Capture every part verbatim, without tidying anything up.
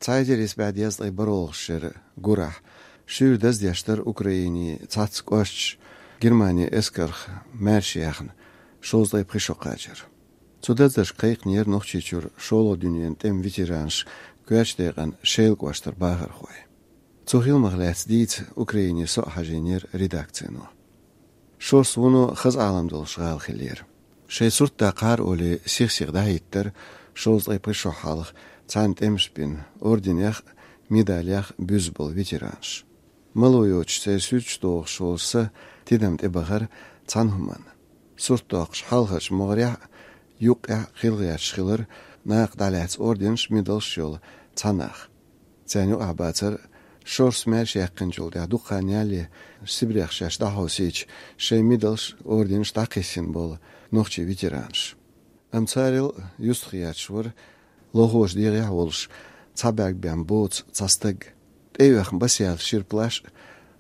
Цхьа эзар исс бӀе дезткъе бархӀалгӀачу шеран гурахь шуьйра даздеш дара Украинин цхьацца кӀошташ Германин эскарх маьрша яьхна, шовзткъе пхи шо кхачар. Цу даздашка кхайкхинера Нохчийчуьра шолгӀа дуьненан тӀеман ветеранаш, коьртачу декъана Шелан кӀоштара бахархой. Цу хиламах лаьцна дийца Украине со а хьажийнера редакцино. Шорс вуно хаза Ӏалам долуш гӀала хиллера. Шайн сурт даккхахьара олий, сих-сиха дӀахӀиттара, шовзткъе пхи шо хьалха цхьанна тӀемаш бина, орденех а, медалех а буьзна болу ветеранаш. Мало йоцуш церан суьрташ дохуш волу са тидам тӀебахара цхьана хӀуманна. Сурт доккхуш хьалхарчу могӀарехь а, юккъехь а хила гӀерташ хилара накха дӀалаьцна орденаш а, медалш а йолу цхьа нах. Царна юкъахь бацара Шорс маьрша яьккхинчул тӀаьхьа дукха хан ялале Сибрех шаьш дӀахьовсийча, шайн медалш, орденаш дӀакхиссина болу нохчийн ветеранаш. Амма царел юьстах етташ вара лохочу дегӀехь а волуш, цхьа бӀаьрг бен боцу цхьа стаг. ТӀеоьхна басъяьлла шира плащ а,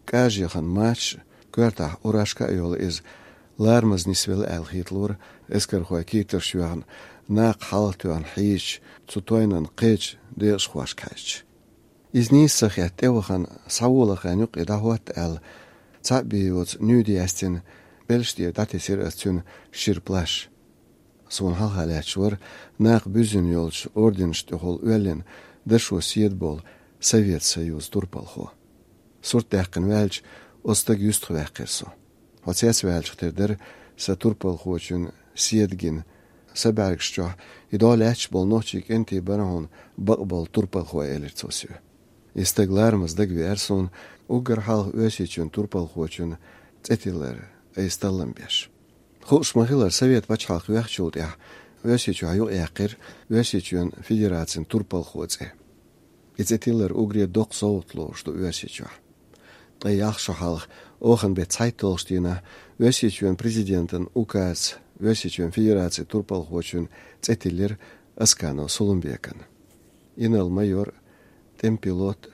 кӀажа яхана мачаш а, коьртахь фуражка а йолу иза ларамаза нисвелла аьлла хеталора эскархойн кийтарш йоьхна, накха хьалха тоьхна хьийзачу цу тойнан кхечу декъашхошка хьаьжча. Иза нийса ца хетта тӀевахана, схьавола хенан юккъе дӀахӀотта аьлла, цхьаъ бен йоцу нуьйда яьстина, белшаш тӀера дӀатесира ас цуьнан шира плащ. Суна хьалха лаьтташ вара накха буьззина йолчу орденашна тӀехула оьллина дашо седа болу Совет Союзан турпалхо. Сурт даьккхина ваьлча, оцу стага юьстах ваьккхира со. Хьо цецваьлча хир дара сан турпалхочун седа гина. Сан бӀаьргаш чохь и дӀо лаьтташ болу нохчийн кӀентий бара хьуна бакъболу турпалхой, элира цо соьга. И стаг ларамаза дагавеара суна, уггар хьалха Оьрсийчоьнан турпалхочун цӀе тиллар айса таллам беш. Хууш ма-хиллара, Совет пачхьалкх вехначул тӀаьхьа Оьрсийчохь юкъаяьккхира Оьрсийчоьнан Федерацин турпалхо цӀе. И цӀе тиллар уггаре доккха совгӀат лоруш ду Оьрсийчохь. Ткъе ялх шо хьалха, оханан беттан цхьайтталгӀачу дийнахь, Оьрсийчоьнан президентан указца Оьрсийчоьнан Федерацин турпалхочун цӀе тиллира Асканов Сулумбекан. Инарла-майор, тӀеман пилот,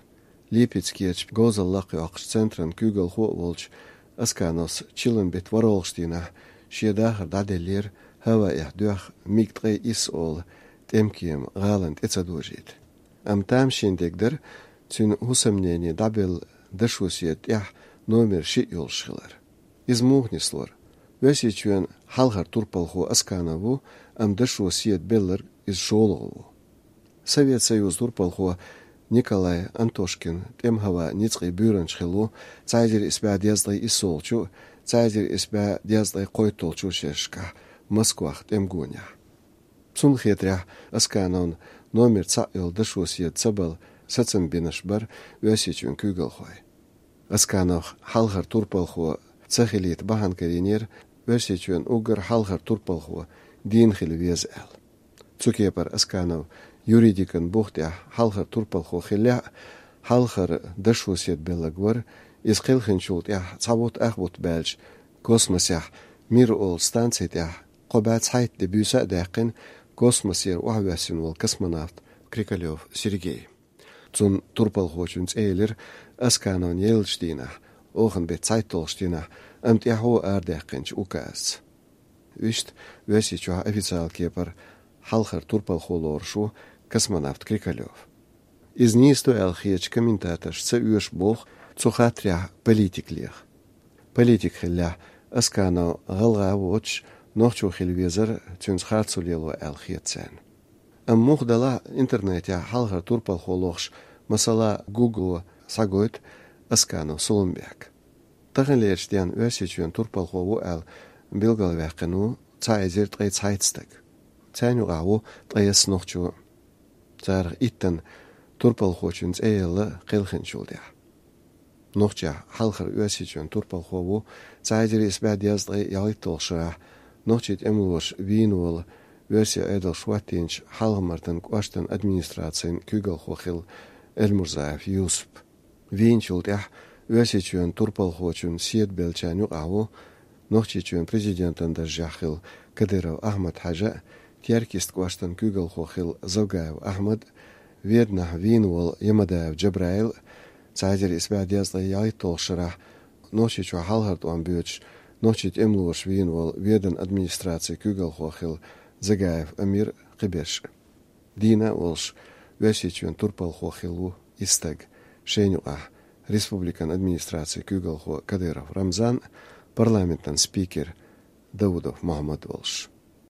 Липецкерчу говзалла лакхайоккхучу центран куьйгалхо а волчу Аскановс чиллан беттан ворхӀалгӀачу дийнахь шен дахар дӀаделлера, хӀаваэхь доьхна МиГ ткъе исс олу тӀемкема гӀалина тӀе ца дожийта. Амма тамашийна дерг дара цуьнан хӀусамнене дӀабелла дашо седа тӀехь номер шиъ йолуш хилар. Иза муха нислора? Оьрсийчоьнан хьалхара турпалхо Асканов ву, амма дашо седа белларг иза шолгӀа ву. Совет Союзан турпалхо Николай Антошкин тӀеман хӀаваан ницкъийн буьйранча хилла ву цхьа эзар исс бӀе дезткъе иссолгӀачу, цхьа эзар исс бӀе дезткъе кхойтталгӀачу шерашкахь Москвахь тӀеман гонехь. Цунна хетарехь, Аскановна номер цхьаъ йолу дашо седа ца балла сацам бинарш бара Оьрсийчоьнан куьйгалхой. Аскановх хьалхара турпалхо ца хилийта бахьана карийнера Оьрсийчоьнан уггар хьалхара турпалхо дийна хила веза аьлла. Цу кепара Асканов юридикан бух тӀехь хьалхара турпалхо хиллехь а, хьалхара дашо седа белларг вара, иза кхелхинчул тӀаьхьа цхьа бутт ах бутт баьлча, космосехь Мир олу станци тӀехь кхо бӀе цхьайтта де буьйса а даьккхина, космосера охьавоьссина волу космонавт Крикалёв Сергей. Цунна турпалхочун цӀе елира Аскановна еллачу дийнахь, оханан беттан цхьайтталгӀачу дийнахь, амма тӀаьхьо арадаьккхинчу указца. Вуьшта Оьрсийчохь официалан кепара хьалхара турпалхо лоруш ву космонавт Крикалёв. Иза нийса ду аьлла хетачу комментаторша ца оьшу боху цу хаттарехь политика леха. Политик хиллехь, Асканов гӀалгӀа а воцуш, нохчо хила везара цуьнца харцо лело аьлла хета царна. Амма муха делахь а, интернетехь хьалхара турпалхо лохуш, масала, Гугло схьагойту Асканов Сулумбек. Таханлерчу денна Оьрсийчоьнан турпалхо ву аьлла билгалваьккхина ву цхьа эзар ткъе цхьайтта стаг. Царна юкъахь ву ткъайесна нохчо. Царах иттанна турпалхочун цӀе елла кхелхинчул тӀаьхьа. Нохчехь хьалхара Оьрсийчоьнан турпалхо ву цхьа эзар исс бӀе дезткъе ялхитталгӀачу шарахь нохчийн тӀемалоша вийна волу, оьрсийн Ӏедалша хӀоттийначу Хьалха-Мартан кӀоштан администрацин куьйгалхо хилла Эльмурзаев Юсуп. Вийначул тӀаьхьа Оьрсийчоьнан турпалхочун седа беллачарна юкъахь ву Нохчийчоьнан президентан даржехь хилла Кадыров Ахьмад-Хьаьжа а, Теркйист кӀоштан куьйгалхо хилла Завгаев Ахьмад а, Веданахь вийна волу Ямадаев Джабраил а, цхьа эзар исс бӀе дезткъе ялхитталгӀачу шарахь Нохчийчохь хьалхара тӀом боьдуш нохчийн тӀемалоша вийна волу Ведан администрацин куьйгалхо хилла Загаев Амир а, кхиберш а. Дийна а волуш, Оьрсийчоьнан турпалхо хилла ву и стаг. Шайна юкъахь республикан администрацин куьйгалхо Кадыров Рамзан, парламентан спикер Даудов Мухьаммад волуш.